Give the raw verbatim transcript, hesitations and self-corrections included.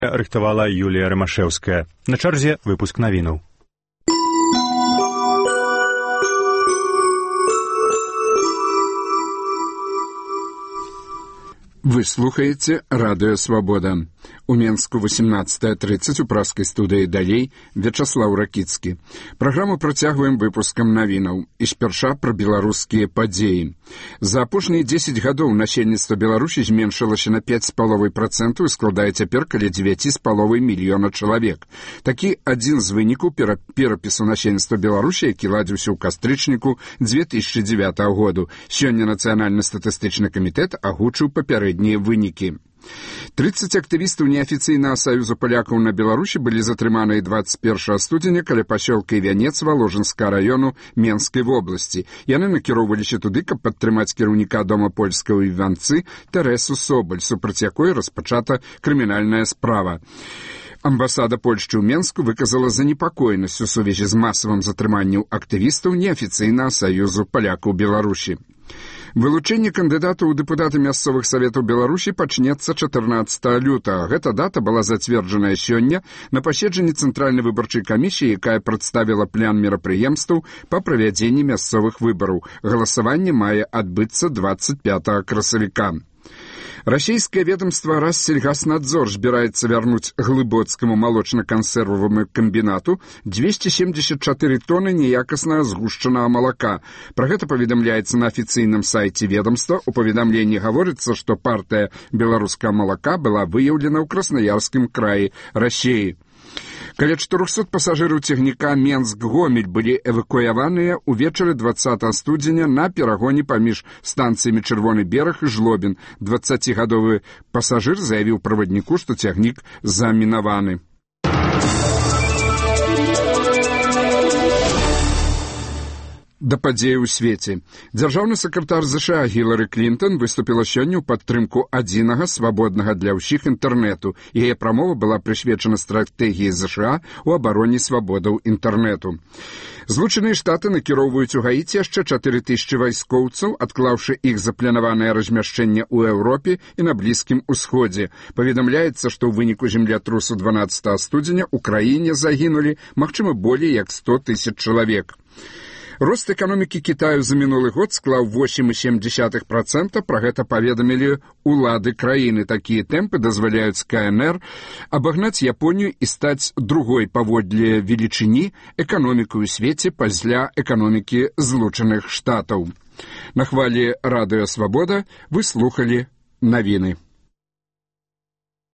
рыхтавала Юлія Рамашэўская. На чарзе выпуск навінаў. Вы слухаеце радыё «Свабода». У Менску восемнадцатая тридцать у праскай студыі «Далей» Вячаслаў Ракіцкі. Праграму працягваем выпускам навінаў. І спярша пра беларускія падзеі. За апошнія дзесяць гадоў насельніцтва Беларусі зменшылася на пяць з паловай працэнтаў і складае цяпер каля дзевяць з паловай мільёна чалавек. Такі адзін з вынікаў пера... перапісу насельніцтва Беларусі, які ладзіўся ў кастрычніку дзве тысячы дзевятага году. Сёння Нацыянальны статыстычны камітэт агучыў папярэднія вынікі. тридцать актывістаў неафіцыйнага саюза палякаў на Беларусі былі затрыманыя двадцать першага студзеня каля пасёлка Івянец Валожынскага раёну Менскай вобласці. Яны накіроўваліся туды, каб падтрымаць кіраўніка дома польскага ў Іванцы Тэрэсу Собаль, супраць якой распачата крымінальная справа. Амбасада Польшчы ў Менску выказала занепакоенасць у сувязі з масавым затрыманнем актывістаў неафіцыйнага саюзу палякаў Беларусі. Вылучэнне кандыдатаў у дэпутаты мясцовых саветаў Беларусі пачнецца чатырнаццатага лютага. Гэта дата была зацверджаная сёння на паседжанні Цэнтральнай выбарчай камісіі, якая прадставіла план мерапрыемстваў па правядзенні мясцовых выбараў. Галасаванне мае адбыцца двадцать пятага красавіка. Расійскае ведомство Рассельгаснадзор збіраецца вярнуць глыбоцкаму малочна-кансерваваму камбінату двести семьдесят четыре тоны неякаснага згушчанага малака. Пра гэта паведамляецца на афіцыйным сайце ведомства. У паведамленні гаворыцца, што партыя беларускага малака была выяўлена ў Краснаярскім краі Расіі. Каля чатырохсот пасажыраў цягніка Менск-Гомель былі эвакуяваныя ўвечары двадцатага студзеня на перагоне паміж станцыямі Чырвоны бераг і Жлобін. дваццацігадовы пасажыр заявіў правадніку, што цягнік замінаваны. Да падзеі ў свеце. Дзяржаўны сакратар ЗША Гілары Клінтон выступіла сёння ў падтрымку адзінага свабоднага для ўсіх інтэрнэту. Яе прамова была прысвечана стратэгіі ЗША ў абароне свабодаў інтэрнэту. Злучаныя Штаты накіроўваюць у Гаіці яшчэ чатыры тысячы вайскоўцаў, адклаўшы іх запланаванае размяшчэнне ў Еўропе і на Блізкім Усходзе. Паведамляецца, што ў выніку землятрусу дванаццатага студзеня ў краіне загінулі, магчыма, болей як сто тысяч чалавек. Рост эканомікі Кітаю за мінулы год склаў восемь і сем дзесятых працэнта, пра гэта паведамілі ўлады краіны. Такія тэмпы дазваляюць КНР абагнаць Японію і стаць другой паводле велічыні эканомікай у свеце пасля эканомікі Злучаных Штатаў. На хвалі радыё «Свабода» вы слухалі навіны.